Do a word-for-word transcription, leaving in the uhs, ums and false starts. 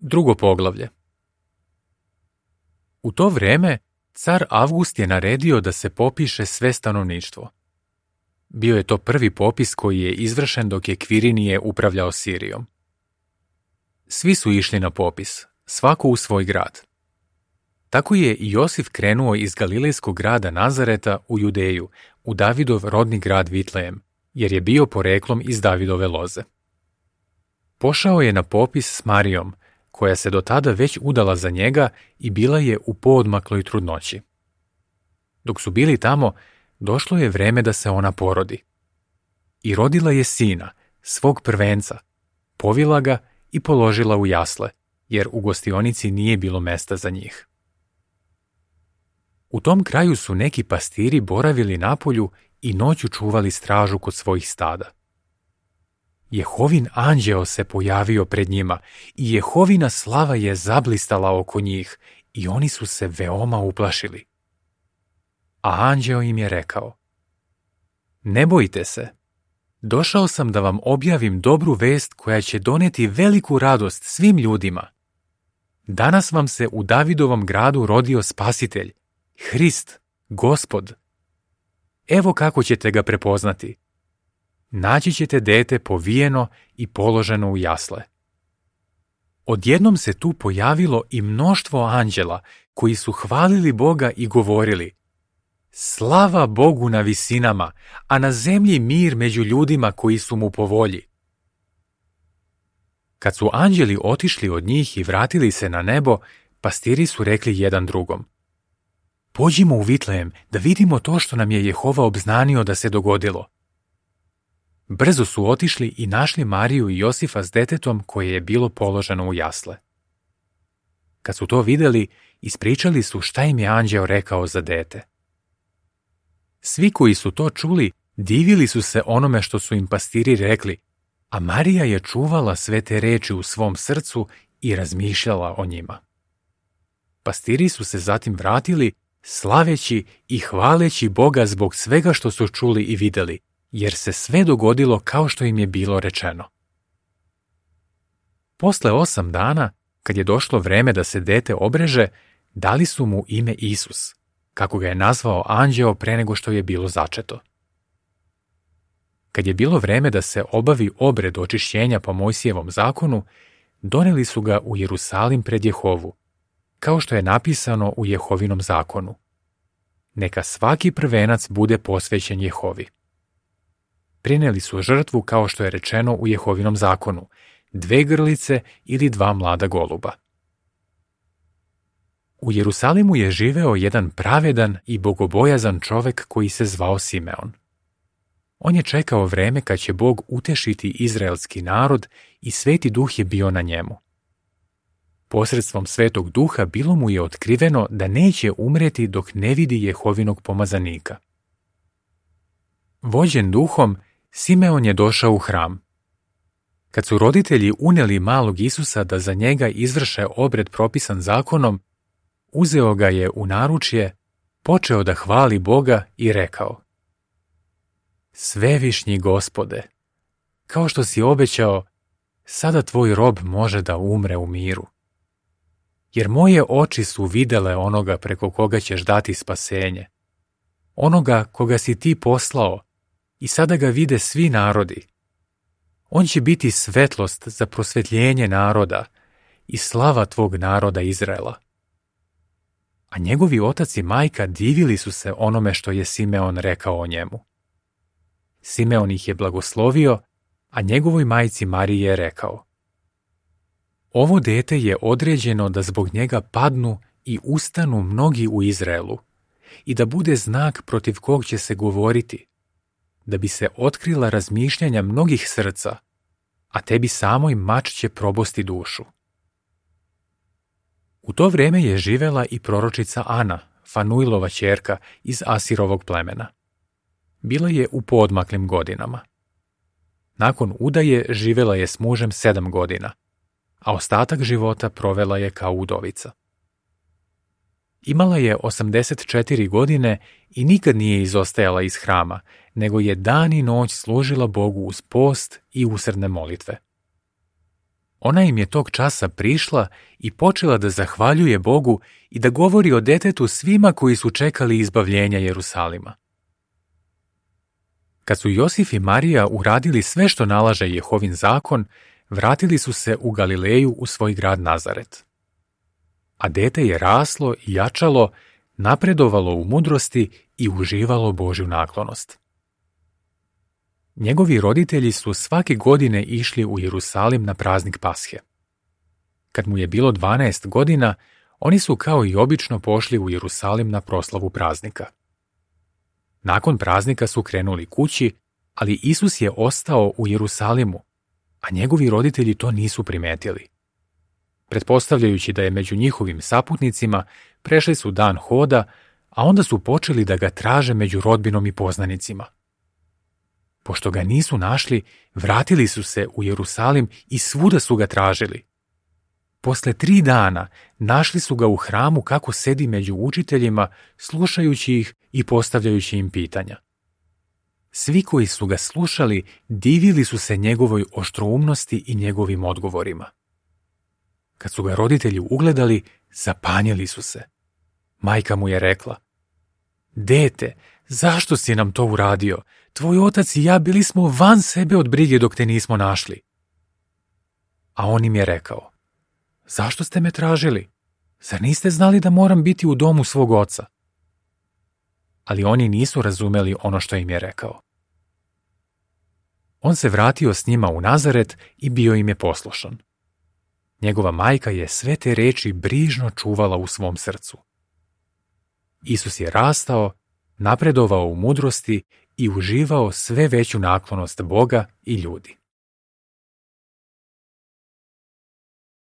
Drugo poglavlje. U to vreme car Avgust je naredio da se popiše sve stanovništvo. Bio je to prvi popis koji je izvršen dok je Kvirinije upravljao Sirijom. Svi su išli na popis, svako u svoj grad. Tako je i Josif krenuo iz Galilejskog grada Nazareta u Judeju, u Davidov rodni grad Vitlejem, jer je bio poreklom iz Davidove loze. Pošao je na popis s Marijom, koja se do tada već udala za njega i bila je u poodmakloj trudnoći. Dok su bili tamo, došlo je vreme da se ona porodi. I rodila je sina, svog prvenca, povila ga i položila u jasle, jer u gostionici nije bilo mesta za njih. U tom kraju su neki pastiri boravili napolju i noću čuvali stražu kod svojih stada. Jehovin anđeo se pojavio pred njima i Jehovina slava je zablistala oko njih i oni su se veoma uplašili. A anđeo im je rekao: Ne bojte se, došao sam da vam objavim dobru vest koja će doneti veliku radost svim ljudima. Danas vam se u Davidovom gradu rodio Spasitelj, Hrist, Gospod. Evo kako ćete ga prepoznati. Naći ćete dete povijeno i položeno u jasle. Odjednom se tu pojavilo i mnoštvo anđela koji su hvalili Boga i govorili: Slava Bogu na visinama, a na zemlji mir među ljudima koji su mu po volji. Kad su anđeli otišli od njih i vratili se na nebo, pastiri su rekli jedan drugom: Pođimo u Vitlejem da vidimo to što nam je Jehova obznanio da se dogodilo. Brzo su otišli i našli Mariju i Josifa s detetom koje je bilo položeno u jasle. Kad su to vidjeli, ispričali su šta im je anđeo rekao za dete. Svi koji su to čuli, divili su se onome što su im pastiri rekli, a Marija je čuvala sve te reči u svom srcu i razmišljala o njima. Pastiri su se zatim vratili, slaveći i hvaleći Boga zbog svega što su čuli i vidjeli, jer se sve dogodilo kao što im je bilo rečeno. Posle osam dana, kad je došlo vreme da se dete obreže, dali su mu ime Isus, kako ga je nazvao anđeo pre nego što je bilo začeto. Kad je bilo vreme da se obavi obred očišćenja po Mojsijevom zakonu, doneli su ga u Jerusalim pred Jehovu, kao što je napisano u Jehovinom zakonu. Neka svaki prvenac bude posvećen Jehovi. Prineli su žrtvu kao što je rečeno u Jehovinom zakonu, dve grlice ili dva mlada goluba. U Jerusalimu je živeo jedan pravedan i bogobojazan čovek koji se zvao Simeon. On je čekao vreme kad će Bog utešiti izraelski narod i Sveti Duh je bio na njemu. Posredstvom Svetog Duha bilo mu je otkriveno da neće umreti dok ne vidi Jehovinog pomazanika. Vođen duhom, Simeon je došao u hram. Kad su roditelji uneli malog Isusa da za njega izvrše obred propisan zakonom, uzeo ga je u naručje, počeo da hvali Boga i rekao: Svevišnji Gospode, kao što si obećao, sada tvoj rob može da umre u miru. Jer moje oči su videle onoga preko koga ćeš dati spasenje, onoga koga si ti poslao, i sada ga vide svi narodi. On će biti svetlost za prosvetljenje naroda i slava tvog naroda Izraela. A njegovi otac i majka divili su se onome što je Simeon rekao o njemu. Simeon ih je blagoslovio, a njegovoj majci Mariji je rekao: Ovo dete je određeno da zbog njega padnu i ustanu mnogi u Izraelu i da bude znak protiv kog će se govoriti, da bi se otkrila razmišljanja mnogih srca, a tebi samoj mač će probosti dušu. U to vreme je živela i proročica Ana, Fanuilova ćerka iz Asirovog plemena. Bila je u poodmaklim godinama. Nakon udaje živela je s mužem sedam godina, a ostatak života provela je kao udovica. Imala je osamdeset četiri godine i nikad nije izostajala iz hrama, nego je dan i noć služila Bogu uz post i usrdne molitve. Ona im je tog časa prišla i počela da zahvaljuje Bogu i da govori o detetu svima koji su čekali izbavljenja Jerusalima. Kad su Josif i Marija uradili sve što nalaže Jehovin zakon, vratili su se u Galileju u svoj grad Nazaret. A dete je raslo i jačalo, napredovalo u mudrosti i uživalo Božju naklonost. Njegovi roditelji su svake godine išli u Jerusalim na praznik Pashe. Kad mu je bilo dvanaest godina, oni su kao i obično pošli u Jerusalim na proslavu praznika. Nakon praznika su krenuli kući, ali Isus je ostao u Jerusalimu, a njegovi roditelji to nisu primetili. Pretpostavljajući da je među njihovim saputnicima, prešli su dan hoda, a onda su počeli da ga traže među rodbinom i poznanicima. Pošto ga nisu našli, vratili su se u Jerusalim i svuda su ga tražili. Posle tri dana našli su ga u hramu kako sedi među učiteljima, slušajući ih i postavljajući im pitanja. Svi koji su ga slušali divili su se njegovoj oštroumnosti i njegovim odgovorima. Kad su ga roditelji ugledali, zapanjili su se. Majka mu je rekla: Dete, zašto si nam to uradio? Tvoj otac i ja bili smo van sebe od brige dok te nismo našli. A on im je rekao: Zašto ste me tražili? Zar niste znali da moram biti u domu svog oca? Ali oni nisu razumeli ono što im je rekao. On se vratio s njima u Nazaret i bio im je poslušan. Njegova majka je sve te reči brižno čuvala u svom srcu. Isus je rastao, napredovao u mudrosti i uživao sve veću naklonost Boga i ljudi.